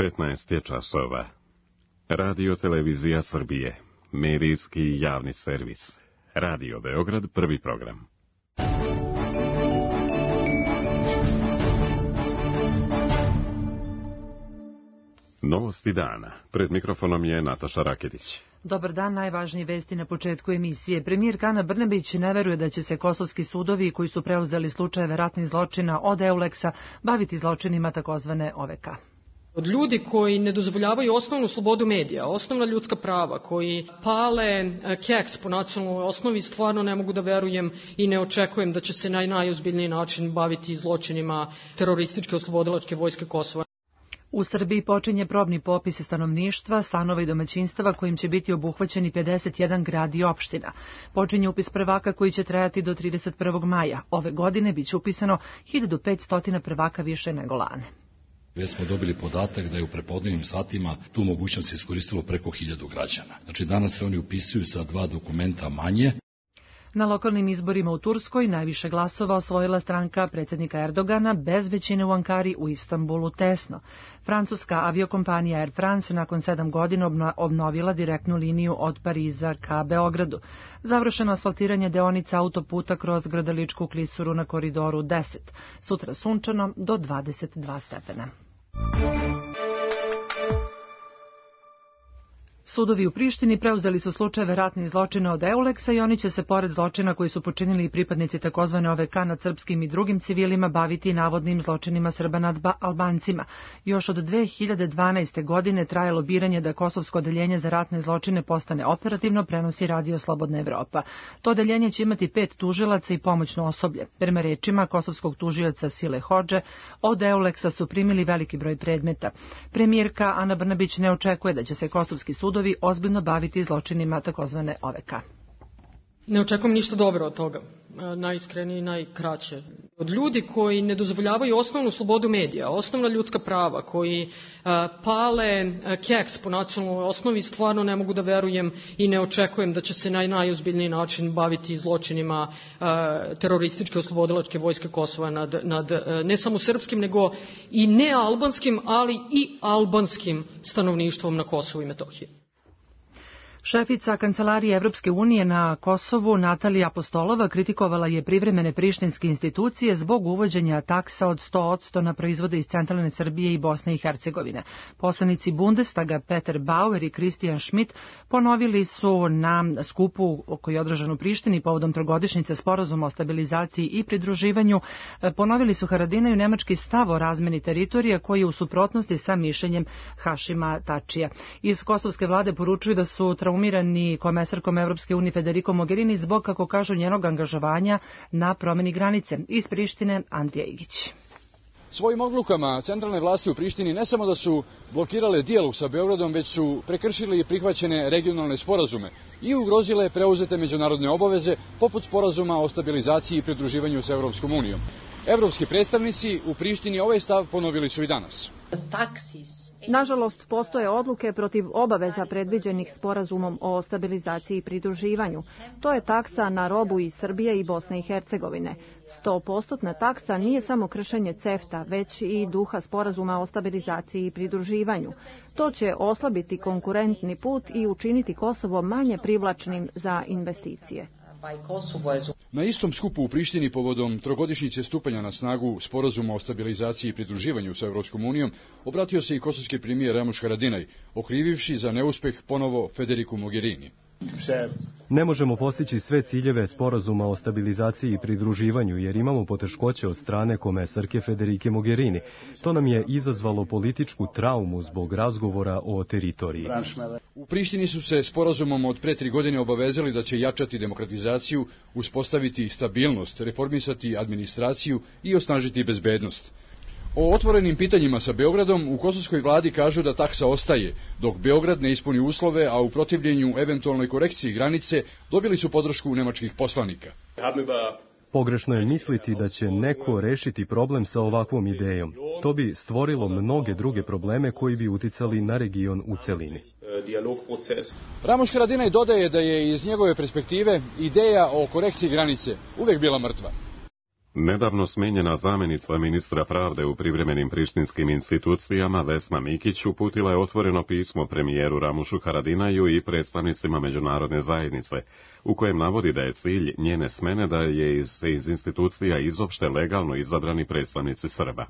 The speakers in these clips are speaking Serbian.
15 je časova. Radio Televizija Srbije. Medijski javni servis. Radio Beograd, prvi program. Novosti dana. Pred mikrofonom je Nataša Raketić. Dobar dan, najvažnije vesti na početku emisije. Premijerka Ana Brnabić ne veruje da će se kosovski sudovi koji su preuzeli slučajeve ratnih zločina od Euleksa baviti zločinima takozvane OVK. Od ljudi koji ne dozvoljavaju osnovnu slobodu medija, osnovna ljudska prava, koji pale keks po nacionalnoj osnovi, stvarno ne mogu da verujem i ne očekujem da će se na najozbiljniji način baviti zločinima terorističke oslobodilačke vojske Kosova. U Srbiji počinje probni popis stanovništva, stanova i domaćinstava kojim će biti obuhvaćeni 51 grad i opština. Počinje upis prvaka koji će trajati do 31. maja. Ove godine biće upisano 1500 prvaka više nego lane. Već smo dobili podatak da je u prepodnevnim satima tu mogućnost iskoristilo preko 1000 građana. Znači danas se oni upisuju sa 2 dokumenta manje. Na lokalnim izborima u Turskoj najviše glasova osvojila stranka predsjednika Erdogana bez većine u Ankari, u Istanbulu tesno. Francuska aviokompanija Air France nakon 7 godina obnovila direktnu liniju od Pariza ka Beogradu. Završeno asfaltiranje deonica autoputa kroz Grdeličku klisuru na koridoru 10. Sutra sunčano do 22 stepena. Sudovi u Prištini preuzeli su slučajeve ratnih zločina od Euleksa i oni će se, pored zločina koji su počinili i pripadnici takozvane OVK nad srpskim i drugim civilima, baviti navodnim zločinima Srba nad Albancima. Još od 2012. godine traje lobiranje da kosovsko odeljenje za ratne zločine postane operativno, prenosi Radio Slobodna Evropa. To odeljenje će imati 5 tužilaca i pomoćno osoblje. Prema rečima kosovskog tužioca Sile Hodže, od Euleksa su primili veliki broj predmeta. Premijerka Ana Brnabić ne očekuje da će se kosovski sudovi ozbiljno baviti zločinima takozvane OVK. Ne očekujem ništa dobro od toga, najiskrenije i najkraće. Od ljudi koji ne dozvoljavaju osnovnu slobodu medija, osnovna ljudska prava, koji pale keks po nacionalnoj osnovi, stvarno ne mogu da verujem i ne očekujem da će se na najozbiljniji način baviti zločinima terorističke oslobodilačke vojske Kosova nad ne samo srpskim, nego i nealbanskim, ali i albanskim stanovništvom na Kosovu i Metohiji. Šefica Kancelarije Evropske unije na Kosovu, Natalija Apostolova, kritikovala je privremene prištinske institucije zbog uvođenja taksa od 100% na proizvode iz centralne Srbije i Bosne i Hercegovine. Poslanici Bundestaga Peter Bauer i Christian Schmidt ponovili su na skupu koji je održan u Prištini povodom trogodišnjice sporazuma o stabilizaciji i pridruživanju, ponovili su Haradinaju nemački stav o razmeni teritorija koji je u suprotnosti sa mišljenjem Hašima Tačija. Iz kosovske vlade poručuju da su traumirani komesarkom Evropske unije Federico Mogherini zbog, kako kažu, njenog angažovanja na promeni granice. Iz Prištine Andrija Igić. Svojim odlukama centralne vlasti u Prištini ne samo da su blokirale dijalog sa Beogradom, već su prekršili prihvaćene regionalne sporazume i ugrozile preuzete međunarodne obaveze poput sporazuma o stabilizaciji i pridruživanju sa Evropskom unijom. Evropski predstavnici u Prištini ovaj stav ponovili su i danas. Nažalost, postoje odluke protiv obaveza predviđenih sporazumom o stabilizaciji i pridruživanju. To je taksa na robu iz Srbije i Bosne i Hercegovine. 100% taksa nije samo kršenje CEFTA, već i duha sporazuma o stabilizaciji i pridruživanju. To će oslabiti konkurentni put i učiniti Kosovo manje privlačnim za investicije. Na istom skupu u Prištini povodom trogodišnjice stupanja na snagu sporazuma o stabilizaciji i pridruživanju sa Evropskom unijom obratio se i kosovski premijer Ramuš Haradinaj, okrivivši za neuspeh ponovo Federiku Mogherini. Ne možemo postići sve ciljeve sporazuma o stabilizaciji i pridruživanju jer imamo poteškoće od strane komesarke Federike Mogherini. To nam je izazvalo političku traumu zbog razgovora o teritoriji. U Prištini su se sporazumom od pre 3 godine obavezali da će jačati demokratizaciju, uspostaviti stabilnost, reformisati administraciju i osnažiti bezbednost. O otvorenim pitanjima sa Beogradom u kosovskoj vladi kažu da taksa ostaje, dok Beograd ne ispuni uslove, a u protivljenju eventualnoj korekciji granice dobili su podršku nemačkih poslanika. Pogrešno je misliti da će neko rešiti problem sa ovakvom idejom. To bi stvorilo mnoge druge probleme koji bi uticali na region u celini. Ramuš Haradinaj dodaje da je iz njegove perspektive ideja o korekciji granice uvek bila mrtva. Nedavno smenjena zamjenica ministra pravde u privremenim prištinskim institucijama Vesna Mikić uputila je otvoreno pismo premijeru Ramušu Haradinaju i predstavnicima međunarodne zajednice, u kojem navodi da je cilj njene smene da je iz institucija izopšte legalno izabrani predstavnici Srba.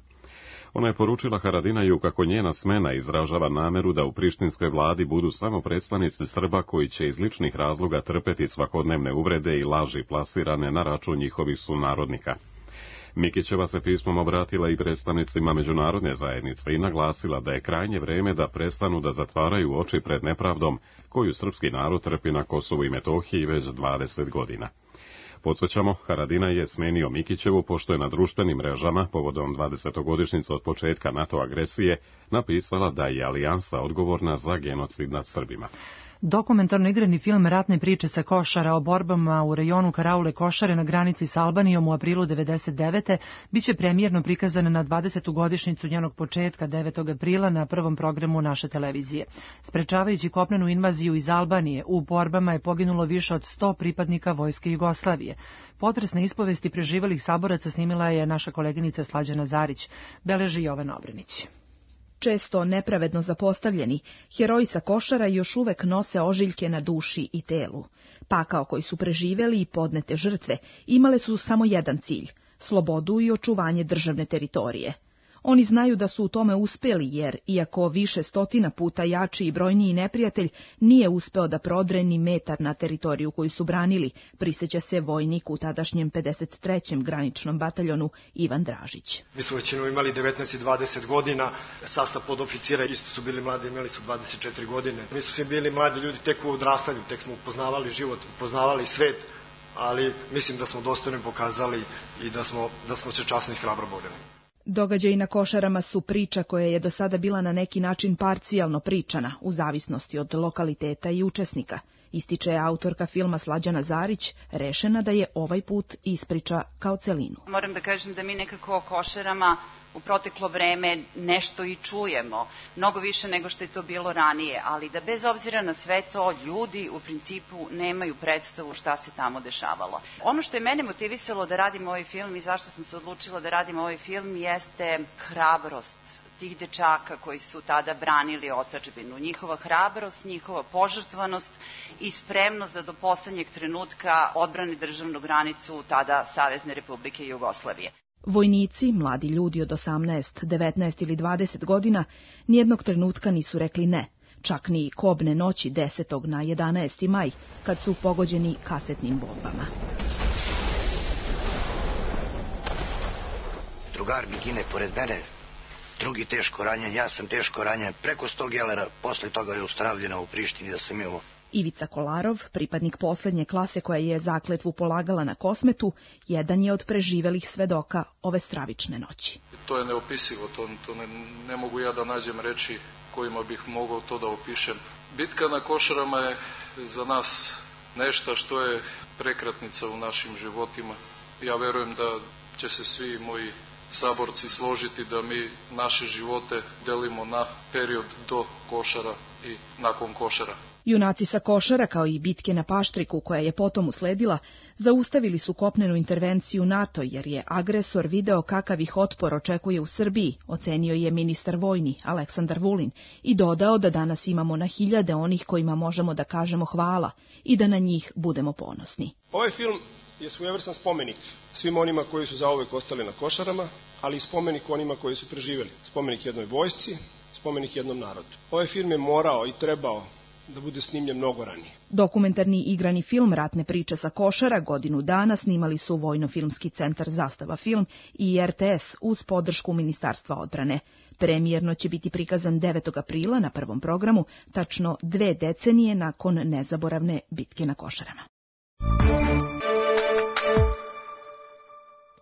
Ona je poručila Haradinaju kako njena smena izražava nameru da u prištinskoj vladi budu samo predstavnici Srba koji će iz ličnih razloga trpeti svakodnevne uvrede i laži plasirane na račun njihovih sunarodnika. Mikićeva se pismom obratila i predstavnicima međunarodne zajednice i naglasila da je krajnje vreme da prestanu da zatvaraju oči pred nepravdom koju srpski narod trpi na Kosovu i Metohiji već 20 godina. Podsjećamo, Haradinaj je smenio Mikićevu pošto je na društvenim mrežama, povodom 20-godišnjice od početka NATO agresije, napisala da je alijansa odgovorna za genocid nad Srbima. Dokumentarno igrani film Ratne priče sa Košara o borbama u rejonu Karaule Košare na granici s Albanijom u aprilu 1999. biće premijerno prikazan na 20. godišnjicu njenog početka 9. aprila na prvom programu naše televizije. Sprečavajući kopnenu invaziju iz Albanije, u borbama je poginulo više od 100 pripadnika Vojske Jugoslavije. Potresne ispovesti preživalih saboraca snimila je naša koleginica Slađana Zarić, beleži Jovan Obrenić. Često nepravedno zapostavljeni, heroji sa Košara još uvek nose ožiljke na duši i telu. Pakao koji su preživeli i podnete žrtve imale su samo jedan cilj – slobodu i očuvanje državne teritorije. Oni znaju da su u tome uspeli jer, iako više stotina puta jači i brojniji neprijatelj, nije uspeo da prodre ni metar na teritoriju koju su branili, prisjeća se vojnik u tadašnjem 53. graničnom bataljonu Ivan Dražić. Mi smo većinom imali 19 i 20 godina, sastav podoficira isto su bili mladi, imali su 24 godine. Mi smo svi bili mladi ljudi tek u odrastanju, tek smo upoznavali život, upoznavali svet, ali mislim da smo dostojno pokazali i da smo se časno i hrabro borili. Događaji na Košarama su priča koja je do sada bila na neki način parcijalno pričana, u zavisnosti od lokaliteta i učesnika. Ističe autorka filma Slađana Zarić, rešena da je ovaj put ispriča kao celinu. Moram da kažem da mi nekako o Košarama u proteklo vreme nešto i čujemo, mnogo više nego što je to bilo ranije, ali da bez obzira na sve to ljudi u principu nemaju predstavu šta se tamo dešavalo. Ono što je mene motivisalo da radim ovaj film i zašto sam se odlučila da radim ovaj film jeste hrabrost tih dečaka koji su tada branili otadžbinu. Njihova hrabrost, njihova požrtvanost i spremnost da do poslednjeg trenutka odbrane državnu granicu tada Savezne Republike Jugoslavije. Vojnici, mladi ljudi od 18, 19 ili 20 godina, nijednog trenutka nisu rekli ne, čak ni kobne noći 10. na 11. maj, kad su pogođeni kasetnim bombama. Drugar mi gine pored mene, drugi teško ranjen, ja sam teško ranjen, preko 100 gelera, posle toga je ustravljeno u Prištini da sam imao. Ivica Kolarov, pripadnik poslednje klase koja je zakletvu polagala na Kosmetu, jedan je od preživelih svedoka ove stravične noći. To je neopisivo, ne mogu ja da nađem reči kojima bih mogao to da opišem. Bitka na Košarama je za nas nešto što je prekretnica u našim životima. Ja verujem da će se svi moji saborci složiti da mi naše živote delimo na period do Košara i nakon Košara. Junaci sa Košara, kao i bitke na Paštriku koja je potom usledila, zaustavili su kopnenu intervenciju NATO jer je agresor video kakav ih otpor očekuje u Srbiji, ocenio je ministar vojni Aleksandar Vulin i dodao da danas imamo na hiljade onih kojima možemo da kažemo hvala i da na njih budemo ponosni. Ovaj film je svojevrstan spomenik svim onima koji su zauvek ostali na Košarama, ali i spomenik onima koji su preživeli. Spomenik jednoj vojsci, spomenik jednom narodu. Ovaj film je morao i trebao da bude snimljen mnogo ranije. Dokumentarni igrani film Ratne priče sa Košara godinu dana snimali su Vojno-filmski centar Zastava film i RTS uz podršku Ministarstva odbrane. Premijerno će biti prikazan 9. aprila na prvom programu, tačno 2 decenije nakon nezaboravne bitke na Košarama.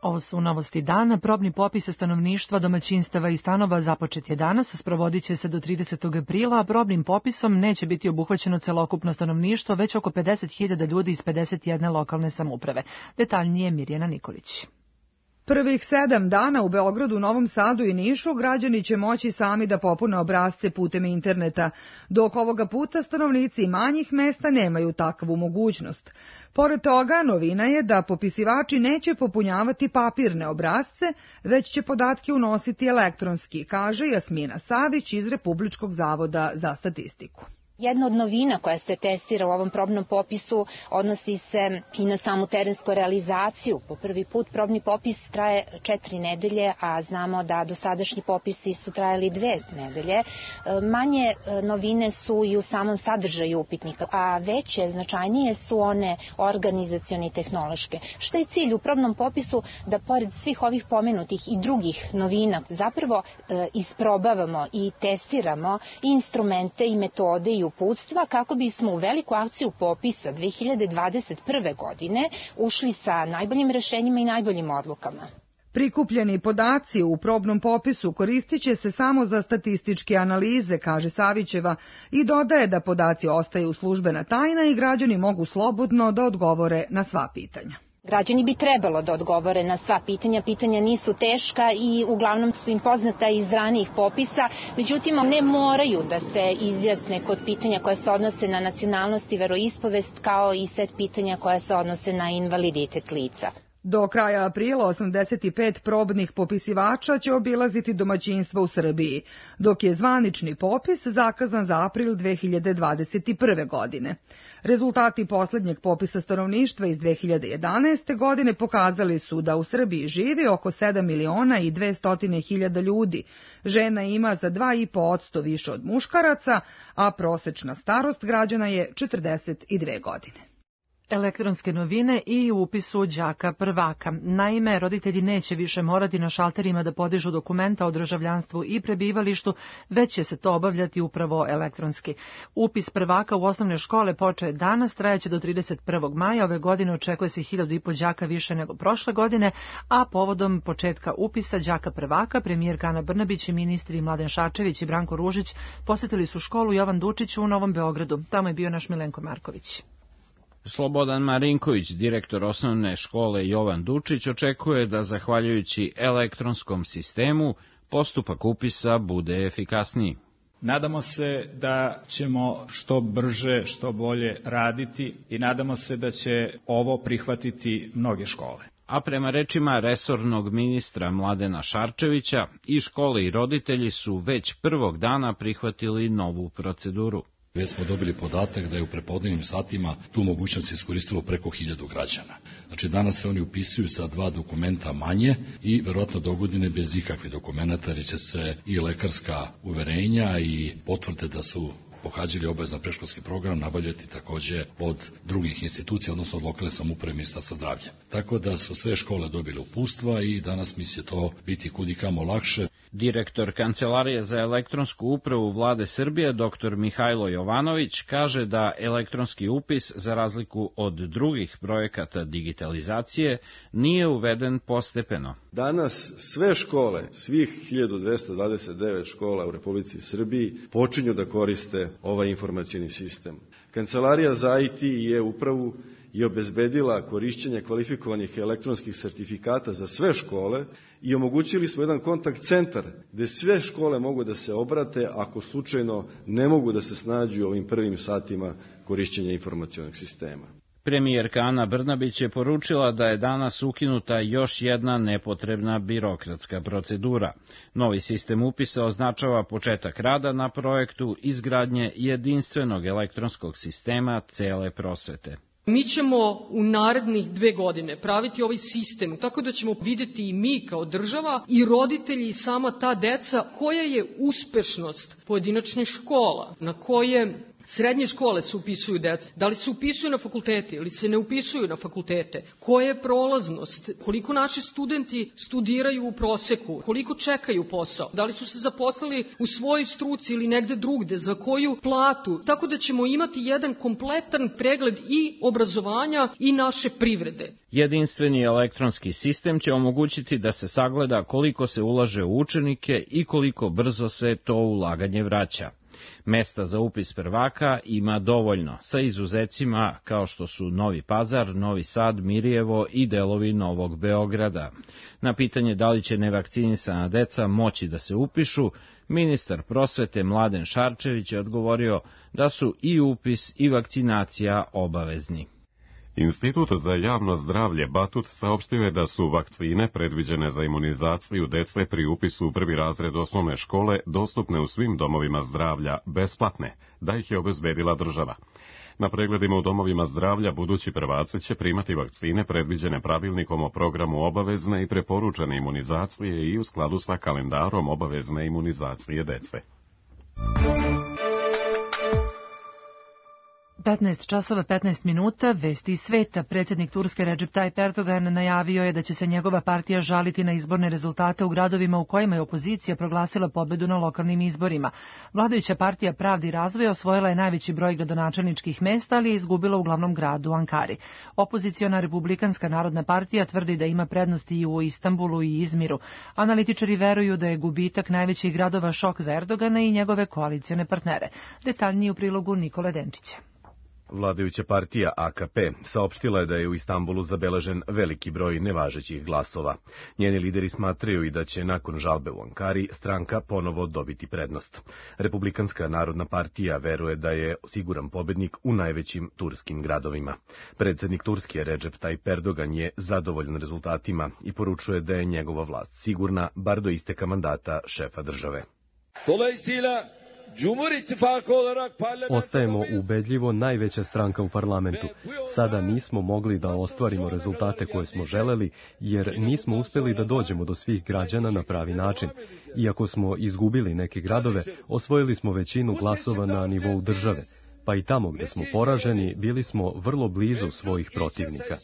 Ovo su novosti dana. Probni popis stanovništva, domaćinstava i stanova započet je danas, sprovodit će se do 30. aprila, a probnim popisom neće biti obuhvaćeno celokupno stanovništvo, već oko 50.000 ljudi iz 51 lokalne samouprave. Detaljnije Mirjana Nikolić. Prvih 7 dana u Beogradu, Novom Sadu i Nišu građani će moći sami da popune obrasce putem interneta, dok ovoga puta stanovnici manjih mesta nemaju takvu mogućnost. Pored toga, novina je da popisivači neće popunjavati papirne obrasce, već će podatke unositi elektronski, kaže Jasmina Savić iz Republičkog zavoda za statistiku. Jedna od novina koja se testira u ovom probnom popisu odnosi se i na samu terensku realizaciju. Po prvi put probni popis traje 4 nedelje, a znamo da dosadašnji popisi su trajali 2 nedelje. Manje novine su i u samom sadržaju upitnika, a veće, značajnije su one organizacione i tehnološke. Šta je cilj u probnom popisu? Da pored svih ovih pomenutih i drugih novina zapravo isprobavamo i testiramo i instrumente i metode i uputstva kako bismo u veliku akciju popisa 2021. godine ušli sa najboljim rešenjima i najboljim odlukama. Prikupljeni podaci u probnom popisu koristit će se samo za statističke analize, kaže Savićeva, i dodaje da podaci ostaju službena tajna i građani mogu slobodno da odgovore na sva pitanja. Građani bi trebalo da odgovore na sva pitanja. Pitanja nisu teška i uglavnom su im poznata iz ranijih popisa, međutim ne moraju da se izjasne kod pitanja koja se odnose na nacionalnost i veroispovest, kao i set pitanja koja se odnose na invaliditet lica. Do kraja aprila 85 probnih popisivača će obilaziti domaćinstva u Srbiji, dok je zvanični popis zakazan za april 2021. godine. Rezultati poslednjeg popisa stanovništva iz 2011. godine pokazali su da u Srbiji živi oko 7.200.000 ljudi. Žena ima za 2,5% više od muškaraca, a prosečna starost građana je 42 godine. Elektronske novine i upisu đaka prvaka. Naime, roditelji neće više morati na šalterima da podižu dokumenta o državljanstvu i prebivalištu, već će se to obavljati upravo elektronski. Upis prvaka u osnovne škole počeo danas, trajaće do 31. maja. Ove godine očekuje se 1.500 đaka više nego prošle godine, a povodom početka upisa đaka prvaka, premijerka Ana Brnabić i ministri Mladen Šarčević i Branko Ružić posetili su školu Jovan Dučić u Novom Beogradu. Tamo je bio naš Milenko Marković. Slobodan Marinković, direktor osnovne škole Jovan Dučić, očekuje da, zahvaljujući elektronskom sistemu, postupak upisa bude efikasniji. Nadamo se da ćemo što brže, što bolje raditi i nadamo se da će ovo prihvatiti mnoge škole. A prema rečima resornog ministra Mladena Šarčevića, i škole i roditelji su već prvog dana prihvatili novu proceduru. Već smo dobili podatak da je u prepodnevnim satima tu mogućnost iskoristilo preko 1000 građana. Znači danas se oni upisuju sa 2 dokumenta manje i verovatno dogodine bez ikakvih dokumenta, jer će se i lekarska uverenja i potvrde da su pohađali obavezan predškolski program nabavljati takođe od drugih institucija, odnosno od lokalne samouprave Ministarstva zdravlja. Tako da su sve škole dobile uputstva i danas mi će to biti kudikamo lakše. Direktor Kancelarije za elektronsku upravu Vlade Srbije, dr. Mihajlo Jovanović, kaže da elektronski upis, za razliku od drugih projekata digitalizacije, nije uveden postepeno. Danas sve škole, svih 1229 škola u Republici Srbiji počinju da koriste ovaj informacioni sistem. Kancelarija za IT i upravu je obezbedila korišćenje kvalifikovanih elektronskih sertifikata za sve škole i omogućili smo jedan kontakt centar gde sve škole mogu da se obrate ako slučajno ne mogu da se snađu ovim prvim satima korišćenja informacionog sistema. Premijerka Ana Brnabić je poručila da je danas ukinuta još jedna nepotrebna birokratska procedura. Novi sistem upisa označava početak rada na projektu izgradnje jedinstvenog elektronskog sistema cele prosvete. Mi ćemo u narednih 2 godine praviti ovaj sistem tako da ćemo videti i mi kao država i roditelji i sama ta deca koja je uspešnost pojedinačnih škola, na koje srednje škole se upisuju deca, da li se upisuju na fakultete ili se ne upisuju na fakultete, koja je prolaznost, koliko naši studenti studiraju u proseku, koliko čekaju posao, da li su se zaposlili u svojoj struci ili negde drugde, za koju platu, tako da ćemo imati jedan kompletan pregled i obrazovanja i naše privrede. Jedinstveni elektronski sistem će omogućiti da se sagleda koliko se ulaže u učenike i koliko brzo se to ulaganje vraća. Mesta za upis prvaka ima dovoljno, sa izuzecima kao što su Novi Pazar, Novi Sad, Mirjevo i delovi Novog Beograda. Na pitanje da li će nevakcinisana deca moći da se upišu, ministar prosvete Mladen Šarčević je odgovorio da su i upis i vakcinacija obavezni. Institut za javno zdravlje Batut saopštio je da su vakcine predviđene za imunizaciju dece pri upisu u prvi razred osnovne škole dostupne u svim domovima zdravlja besplatne, da ih je obezbedila država. Na pregledima u domovima zdravlja budući prvaci će primati vakcine predviđene pravilnikom o programu obavezne i preporučene imunizacije i u skladu sa kalendarom obavezne imunizacije dece. 15 časova 15 minuta, vesti iz sveta. Predsjednik Turske Recep Tayyip Erdogan najavio je da će se njegova partija žaliti na izborne rezultate u gradovima u kojima je opozicija proglasila pobedu na lokalnim izborima. Vladajuća partija Pravde i razvoja osvojila je najveći broj gradonačelničkih mesta, ali je izgubila u glavnom gradu Ankari. Opoziciona Republikanska narodna partija tvrdi da ima prednosti i u Istanbulu i Izmiru. Analitičari veruju da je gubitak najvećih gradova šok za Erdogana i njegove koalicione partnere. Detaljnije u prilogu Nikole Denčića. Vladajuća partija AKP saopštila je da je u Istanbulu zabeležen veliki broj nevažećih glasova. Njeni lideri smatraju i da će nakon žalbe u Ankari stranka ponovo dobiti prednost. Republikanska narodna partija veruje da je siguran pobednik u najvećim turskim gradovima. Predsjednik Turske Recep Tayyip Erdogan je zadovoljan rezultatima i poručuje da je njegova vlast sigurna bar do isteka mandata šefa države. Ostajemo ubedljivo najveća stranka u parlamentu. Sada nismo mogli da ostvarimo rezultate koje smo želeli, jer nismo uspjeli da dođemo do svih građana na pravi način. Iako smo izgubili neke gradove, osvojili smo većinu glasova na nivou države. Pa i tamo gdje smo poraženi, bili smo vrlo blizu svojih protivnika.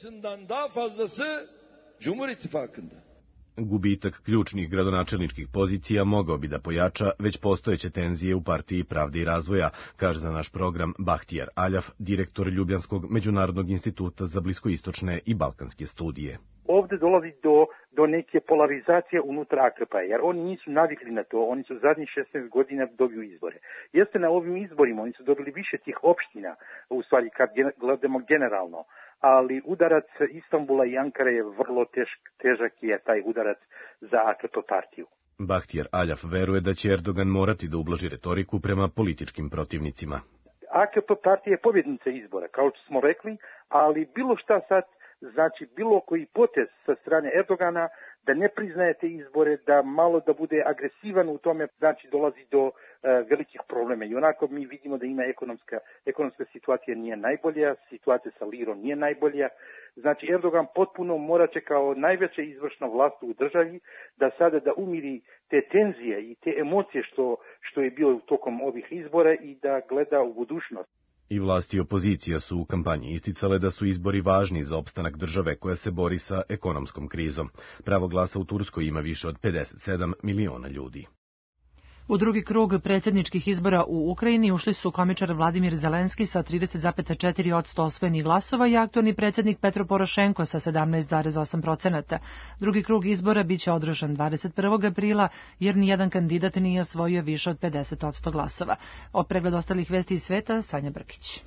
Gubitak ključnih gradonačelničkih pozicija mogao bi da pojača već postojeće tenzije u partiji Pravde i razvoja, kaže za naš program Bahtijar Aljaf, direktor Ljubljanskog međunarodnog instituta za bliskoistočne i balkanske studije. Ovdje dolazi do neke polarizacije unutar AKP-a, jer oni nisu navikli na to, oni su zadnjih 16 godina dobiju izbore. Jeste na ovim izborima, oni su dobili više tih opština, u stvari kad gledamo generalno, ali udarac Istanbula i Ankare je vrlo težak je taj udarac za AKP partiju. Bahtijar Aljaf veruje da će Erdogan morati da ublaži retoriku prema političkim protivnicima. AKP partija je pobjednica izbora, kao što smo rekli, ali bilo šta sad, znači bilo koji potez sa strane Erdogana da ne priznaje te izbore, da malo da bude agresivan u tome, znači dolazi do velikih problema. I onako mi vidimo da ima ekonomska situacija nije najbolja, situacija sa lirom nije najbolja. Znači Erdogan potpuno mora će kao najveća izvršna vlast u državi da sada da umiri te tenzije i te emocije što je bilo tokom ovih izbora i da gleda u budućnost. I vlasti i opozicija su u kampanji isticale da su izbori važni za opstanak države koja se bori sa ekonomskom krizom. Pravo glasa u Turskoj ima više od 57 miliona ljudi. U drugi krug predsjedničkih izbora u Ukrajini ušli su komičar Vladimir Zelenski sa 30,4% osvojenih glasova i aktualni predsjednik Petro Porošenko sa 17,8%. Drugi krug izbora biće održan 21. aprila jer nijedan kandidat nije osvojio više od 50% glasova. O pregled ostalih vesti iz sveta, Sanja Brkić.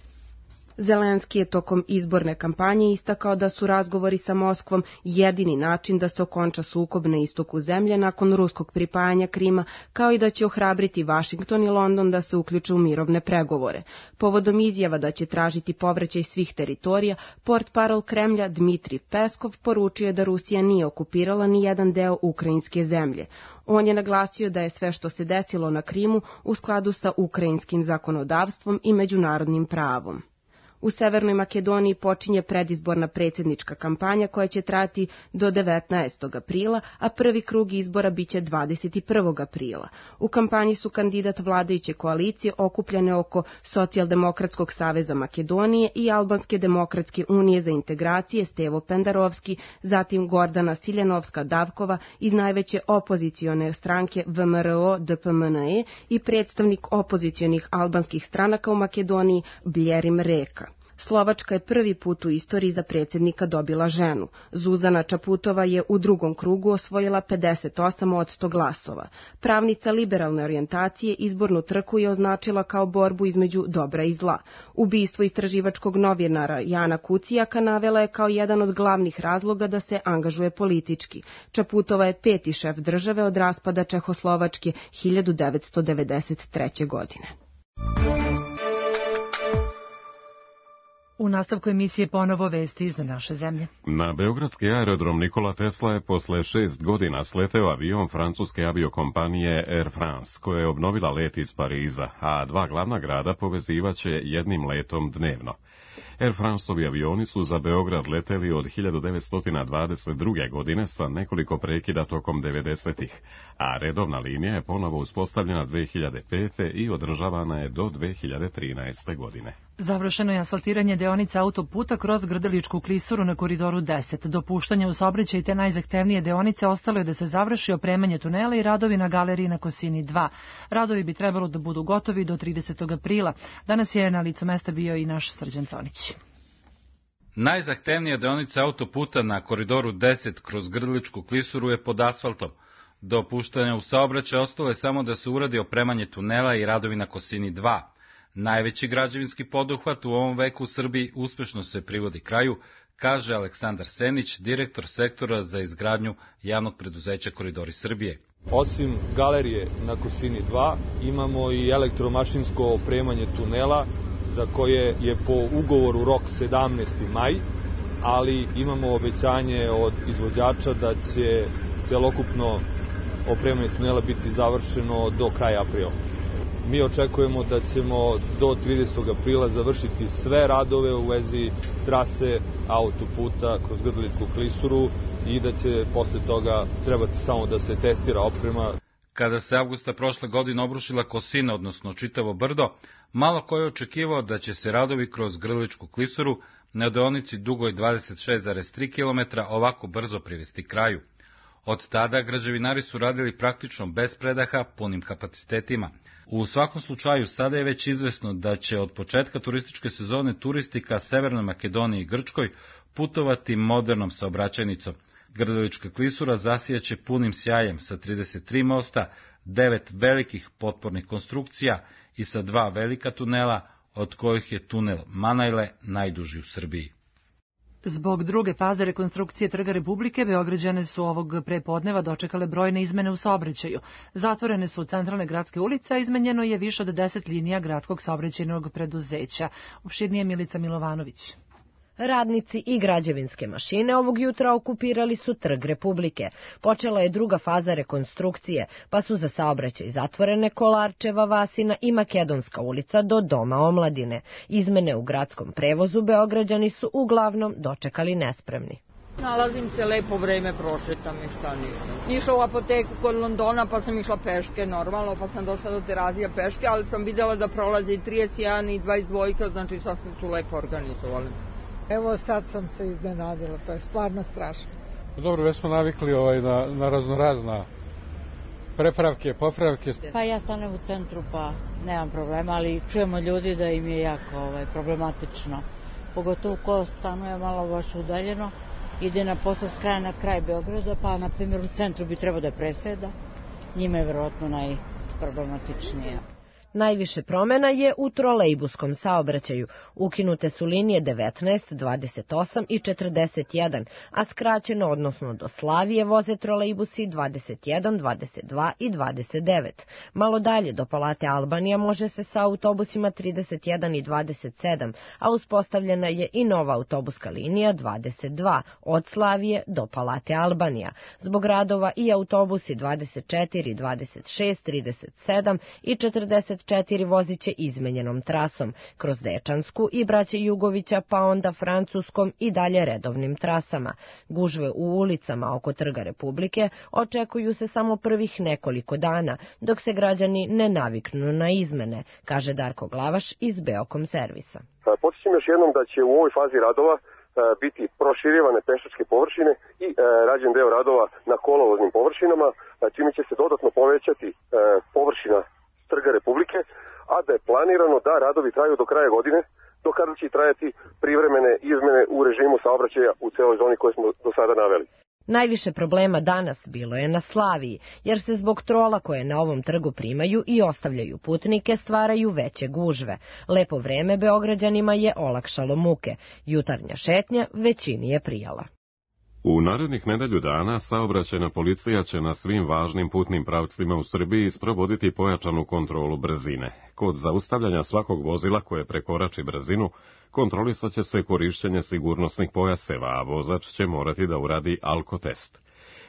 Zelenski je tokom izborne kampanje istakao da su razgovori sa Moskvom jedini način da se okonča sukob na istoku zemlje nakon ruskog pripajanja Krima, kao i da će ohrabriti Vašington i London da se uključe u mirovne pregovore. Povodom izjava da će tražiti povraćaj svih teritorija, portparol Kremlja Dmitrij Peskov poručio je da Rusija nije okupirala ni jedan deo ukrajinske zemlje. On je naglasio da je sve što se desilo na Krimu u skladu sa ukrajinskim zakonodavstvom i međunarodnim pravom. U Severnoj Makedoniji počinje predizborna predsjednička kampanja koja će trajati do 19. aprila, a prvi krug izbora biće 21. aprila. U kampanji su kandidat vladajuće koalicije okupljene oko Socijaldemokratskog saveza Makedonije i Albanske demokratske unije za integracije Stevo Pendarovski, zatim Gordana Siljanovska-Davkova iz najveće opozicione stranke VMRO-DPMNE i predstavnik opozicionih albanskih stranaka u Makedoniji Bljerim Reka. Slovačka je prvi put u istoriji za predsjednika dobila ženu. Zuzana Čaputova je u drugom krugu osvojila 58% glasova. Pravnica liberalne orijentacije izbornu trku je označila kao borbu između dobra i zla. Ubistvo istraživačkog novinara Jana Kucijaka navela je kao jedan od glavnih razloga da se angažuje politički. Čaputova je 5. šef države od raspada Čehoslovačke 1993. godine. U nastavku emisije ponovo vesti iz naše zemlje. Na beogradski aerodrom Nikola Tesla je posle 6 godina sleteo avion francuske aviokompanije Air France, koja je obnovila let iz Pariza, a 2 glavna grada povezivaće jednim letom dnevno. Air France-ovi avioni su za Beograd leteli od 1922. godine sa nekoliko prekida tokom 90-ih, a redovna linija je ponovo uspostavljena 2005. i održavana je do 2013. godine. Završeno je asfaltiranje deonica autoputa kroz Grdeličku klisuru na koridoru 10. Dopuštanje u saobraćaj te najzahtevnije deonice ostalo je da se završi opremanje tunela i radovi na galeriji na Kosini 2. Radovi bi trebalo da budu gotovi do 30. aprila. Danas je na licu mesta bio i naš Srđan Conić. Najzahtevnija deonica autoputa na koridoru 10 kroz Grdeličku klisuru je pod asfaltom. Do puštanja u saobraćaj ostalo je samo da se uradi opremanje tunela i radovi na Kosini 2. Najveći građevinski poduhvat u ovom veku u Srbiji uspešno se privodi kraju, kaže Aleksandar Senić, direktor sektora za izgradnju javnog preduzeća Koridori Srbije. Osim galerije na Kosini 2, imamo i elektromašinsko opremanje tunela, za koje je po ugovoru rok 17. maj, ali imamo obećanje od izvođača da će celokupno opremanje tunela biti završeno do kraja aprila. Mi očekujemo da ćemo do 30. aprila završiti sve radove u vezi trase autoputa kroz Grdeličku klisuru i da će posle toga trebati samo da se testira oprema. Kada se avgusta prošle godine obrušila Kosina, odnosno čitavo brdo, malo ko je očekivao da će se radovi kroz Grdeličku klisuru na deonici dugoj 26,3 km ovako brzo privesti kraju. Od tada građevinari su radili praktično bez predaha, punim kapacitetima. U svakom slučaju, sada je već izvesno da će od početka turističke sezone turisti ka Severnoj Makedoniji i Grčkoj putovati modernom saobraćajnicom. Grdelička klisura zasijaće punim sjajem sa 33 mosta, 9 velikih potpornih konstrukcija i sa 2 velika tunela, od kojih je tunel Manajle najduži u Srbiji. Zbog druge faze rekonstrukcije Trga Republike, Beograđane su ovog prepodneva dočekale brojne izmene u saobraćaju. Zatvorene su centralne gradske ulice, a izmenjeno je više od 10 linija gradskog saobraćajnog preduzeća. Opširnije Milica Milovanović. Radnici i građevinske mašine ovog jutra okupirali su Trg Republike. Počela je druga faza rekonstrukcije, pa su za saobraćaj zatvorene Kolarčeva, Vasina i Makedonska ulica do Doma omladine. Izmene u gradskom prevozu Beograđani su uglavnom dočekali nespremni. Nalazim se lepo vreme, prošetam i šta ništa. Išla u apoteku kod Londona, pa sam išla peške normalno, pa sam došla do Terazija peške, ali sam videla da prolaze i 31 i 22, znači sasvim su lepo organizovali. Evo sad sam se iznenadila, to je stvarno strašno. Dobro, već smo navikli na raznorazna prepravke, popravke. Pa ja stanem u centru pa nemam problema, ali čujemo ljudi da im je jako problematično. Pogotovo ko stanuje malo baš udaljeno, ide na posao s kraja na kraj Beograda, pa na primjer u centru bi trebao da preseda. Njima je verovatno najproblematičnije. Najviše promena je u trolejbuskom saobraćaju. Ukinute su linije 19, 28 i 41, a skraćeno, odnosno do Slavije, voze trolejbusi 21, 22 i 29. Malo dalje do Palate Albanija može se sa autobusima 31 i 27, a uspostavljena je i nova autobuska linija 22 od Slavije do Palate Albanija. Zbog radova i autobusi 24, 26, 37 i 44 voziće izmenjenom trasom, kroz Dečansku i Braće Jugovića, pa onda Francuskom i dalje redovnim trasama. Gužve u ulicama oko Trga Republike očekuju se samo prvih nekoliko dana, dok se građani ne naviknu na izmene, kaže Darko Glavaš iz Beokom servisa. Podsjećam još jednom da će u ovoj fazi radova biti proširivane pešačke površine i rađen deo radova na kolovoznim površinama, čime će se dodatno povećati površina Trga Republike, a da je planirano da radovi traju do kraja godine, do kada će trajati privremene izmene u režimu saobraćaja u celoj zoni koje smo do sada naveli. Najviše problema danas bilo je na Slaviji, jer se zbog trola koje na ovom trgu primaju i ostavljaju putnike stvaraju veće gužve. Lepo vreme Beograđanima je olakšalo muke. Jutarnja šetnja većini je prijala. U narednih nedelju dana saobraćajna policija će na svim važnim putnim pravcima u Srbiji sprovoditi pojačanu kontrolu brzine. Kod zaustavljanja svakog vozila koje prekorači brzinu, kontrolisat će se korišćenje sigurnosnih pojaseva, a vozač će morati da uradi alkotest.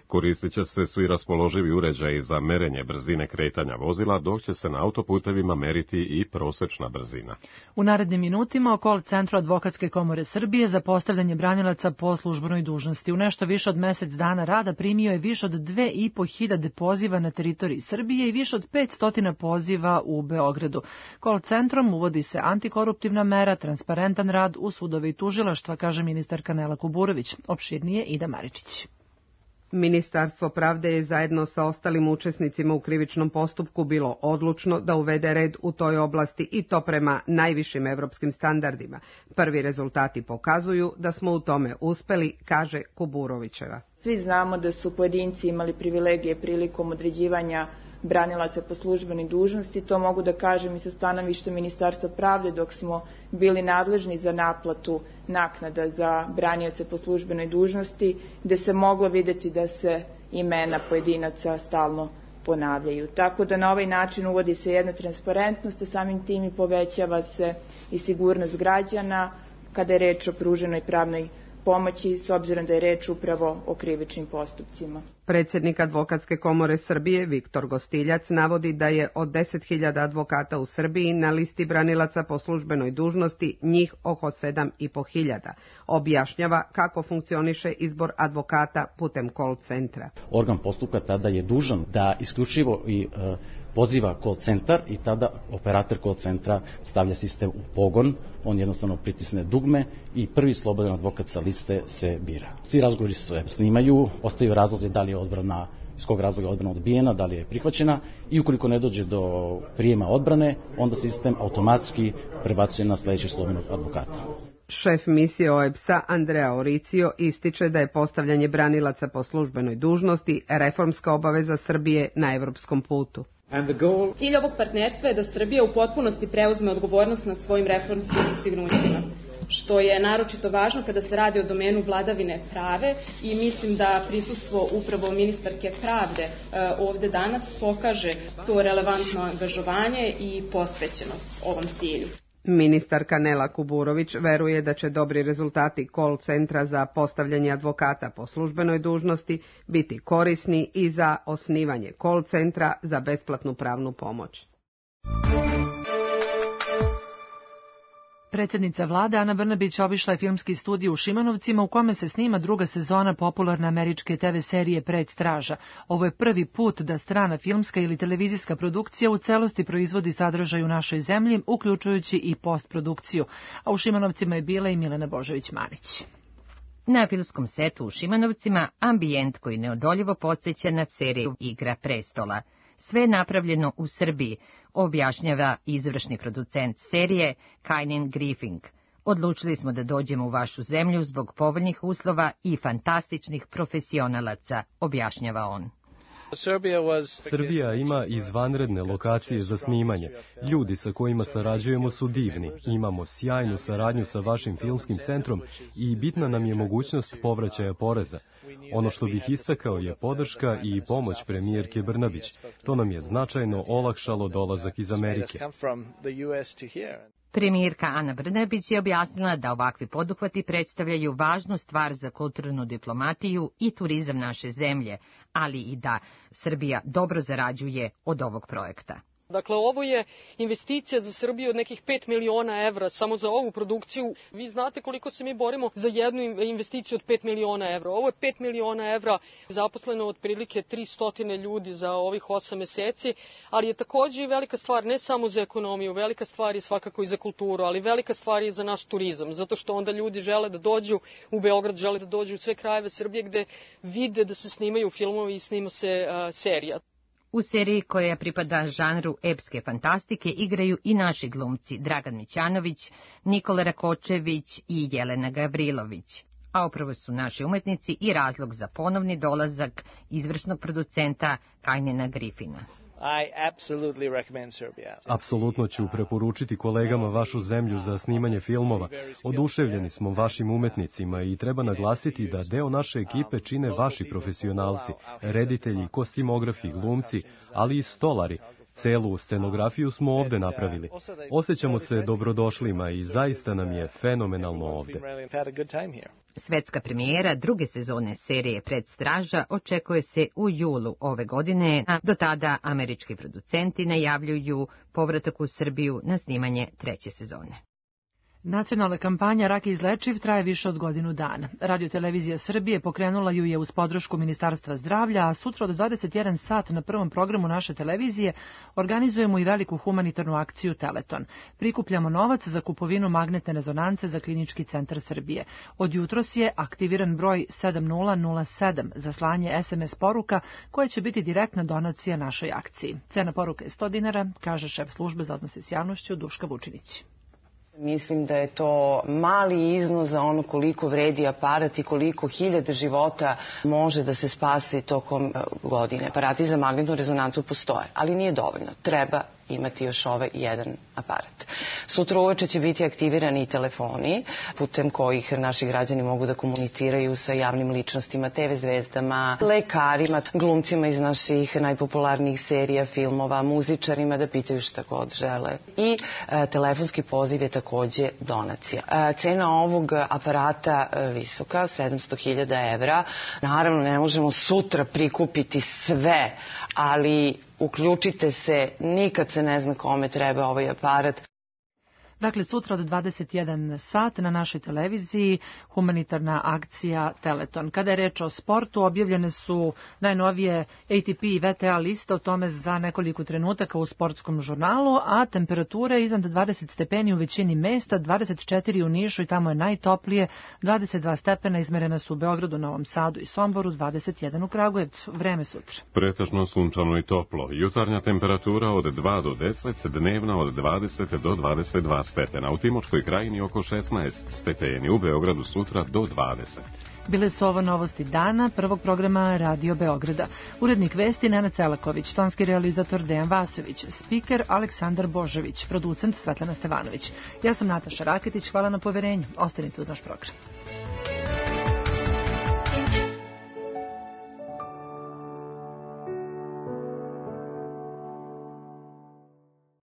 Koristit će se svi raspoloživi uređaji za merenje brzine kretanja vozila, dok će se na autoputevima meriti i prosečna brzina. U narednim minutima o call centru Advokatske komore Srbije za postavljanje branilaca po službenoj dužnosti. U nešto više od mesec dana rada primio je više od 2.500 poziva na teritoriji Srbije i više od 500 poziva u Beogradu. Call centrom uvodi se antikoruptivna mera, transparentan rad u sudove i tužilaštva, kaže ministarka Nela Kuburović. Opširnije Ida Maričić. Ministarstvo pravde je zajedno sa ostalim učesnicima u krivičnom postupku bilo odlučno da uvede red u toj oblasti i to prema najvišim evropskim standardima. Prvi rezultati pokazuju da smo u tome uspeli, kaže Kuburovićeva. Svi znamo da su pojedinci imali privilegije prilikom određivanja branilaca po službenoj dužnosti. To mogu da kažem i sa stanovišta Ministarstva pravde dok smo bili nadležni za naplatu naknada za branioce po službenoj dužnosti, gde se moglo videti da se imena pojedinaca stalno ponavljaju. Tako da na ovaj način uvodi se jedna transparentnost, a samim tim i povećava se i sigurnost građana kada je reč o pruženoj pravnoj pomoći, s obzirom da je reč upravo o krivičnim postupcima. Predsjednik Advokatske komore Srbije, Viktor Gostiljac, navodi da je od 10.000 advokata u Srbiji na listi branilaca po službenoj dužnosti njih oko 7.500. Objašnjava kako funkcioniše izbor advokata putem call centra. Organ postupka tada je dužan da isključivo i poziva call centar i tada operator call centra stavlja sistem u pogon, on jednostavno pritisne dugme i prvi slobodan advokat sa liste se bira. Svi razgovori se snimaju, ostaju razlozi da li je odbrana, iz kog razloga je odbrana odbijena, da li je prihvaćena i ukoliko ne dođe do prijema odbrane, onda sistem automatski prebacuje na sledećeg slobodnog advokata. Šef misije OEBS-a Andrea Oricio ističe da je postavljanje branilaca po službenoj dužnosti reformska obaveza Srbije na evropskom putu. Cilj ovog partnerstva je da Srbija u potpunosti preuzme odgovornost na svojim reformskim dostignućima, što je naročito važno kada se radi o domenu vladavine prave i mislim da prisustvo upravo ministarke pravde ovde danas pokaže to relevantno angažovanje i posvećenost ovom cilju. Ministarka Nela Kuburović veruje da će dobri rezultati call centra za postavljanje advokata po službenoj dužnosti biti korisni i za osnivanje call centra za besplatnu pravnu pomoć. Predsjednica vlade Ana Brnabić obišla je filmski studio u Šimanovcima u kome se snima druga sezona popularne američke TV serije Pred straža. Ovo je prvi put da strana filmska ili televizijska produkcija u celosti proizvodi sadržaj u našoj zemlji, uključujući i postprodukciju. A u Šimanovcima je bila i Milena Božović-Manić. Na filmskom setu u Šimanovcima ambijent koji neodoljivo podsjeća na seriju Igra prestola. Sve je napravljeno u Srbiji, objašnjava izvršni producent serije Kynan Griffin. Odlučili smo da dođemo u vašu zemlju zbog povoljnih uslova i fantastičnih profesionalaca, objašnjava on. Srbija ima izvanredne lokacije za snimanje. Ljudi sa kojima sarađujemo su divni. Imamo sjajnu saradnju sa vašim filmskim centrom i bitna nam je mogućnost povraćaja poreza. Ono što bih istakao je podrška i pomoć premijerke Brnabić. To nam je značajno olakšalo dolazak iz Amerike. Premijerka Ana Brnabić je objasnila da ovakvi poduhvati predstavljaju važnu stvar za kulturnu diplomatiju i turizam naše zemlje, ali i da Srbija dobro zarađuje od ovog projekta. Dakle, ovo je investicija za Srbiju od nekih 5 miliona evra samo za ovu produkciju. Vi znate koliko se mi borimo za jednu investiciju od 5 miliona evra. Ovo je 5 miliona evra, zaposleno otprilike 300 ljudi za ovih 8 meseci, ali je takođe i velika stvar ne samo za ekonomiju, velika stvar je svakako i za kulturu, ali velika stvar je i za naš turizam, zato što onda ljudi žele da dođu u Beograd, žele da dođu u sve krajeve Srbije gde vide da se snimaju filmovi i snima se serija. U seriji koja pripada žanru epske fantastike igraju i naši glumci Dragan Mićanović, Nikola Rakočević i Jelena Gavrilović. A upravo su naši umetnici i razlog za ponovni dolazak izvršnog producenta Kajnena Griffina. Apsolutno ću preporučiti kolegama vašu zemlju za snimanje filmova. Oduševljeni smo vašim umetnicima i treba naglasiti da deo naše ekipe čine vaši profesionalci, reditelji, kostimografi, glumci, ali i stolari. Celu scenografiju smo ovde napravili. Osjećamo se dobrodošlima i zaista nam je fenomenalno ovde. Svetska premijera druge sezone serije Predstraža očekuje se u julu ove godine, a do tada američki producenti najavljuju povratak u Srbiju na snimanje treće sezone. Nacionalna kampanja Rak je izlečiv traje više od godinu dana. Radio-televizija Srbije pokrenula ju je uz podršku Ministarstva zdravlja, a sutra od 21 sat na prvom programu naše televizije organizujemo i veliku humanitarnu akciju Teleton. Prikupljamo novac za kupovinu magnetne rezonance za Klinički centar Srbije. Od jutros je aktiviran broj 7007 za slanje SMS poruka koje će biti direktna donacija našoj akciji. Cena poruke je 100 dinara, kaže šef službe za odnose s javnošću Duška Vučinić. Mislim da je to mali iznos za ono koliko vredi aparat i koliko hiljada života može da se spasi tokom godine. Aparati za magnetnu rezonancu postoje, ali nije dovoljno. Treba imati još ovaj jedan aparat. Sutra uveče će biti aktivirani i telefoni, putem kojih naši građani mogu da komuniciraju sa javnim ličnostima, TV zvezdama, lekarima, glumcima iz naših najpopularnijih serija, filmova, muzičarima da pitaju šta god žele. I telefonski poziv je takođe donacija. Cena ovog aparata visoka, 700.000 evra. Naravno, ne možemo sutra prikupiti sve, ali uključite se, nikad se ne zna kome treba ovaj aparat. Dakle, sutra od 21 sat na našoj televiziji humanitarna akcija Teleton. Kada je reč o sportu, objavljene su najnovije ATP i VTA liste, o tome za nekoliko trenutaka u sportskom žurnalu, a temperature iznad 20 stepeni u većini mesta, 24 u Nišu i tamo je najtoplije, 22 stepena izmerena su u Beogradu, Novom Sadu i Somboru, 21 u Kragujevcu. Vreme sutra. Pretežno sunčano i toplo. Jutarnja temperatura od 2 do 10, dnevna od 20 do 22 stepena. U Timočkoj krajini oko 16 stepeni, u Beogradu sutra do 20. Bile su ovo novosti dana prvog programa Radio Beograda. Urednik vesti Nenad Celaković, tonski realizator Dejan Vasović, spiker Aleksandar Božović, producent Svetlana Stevanović. Ja sam Nataša Raketić, hvala na poverenju. Ostanite uz naš program.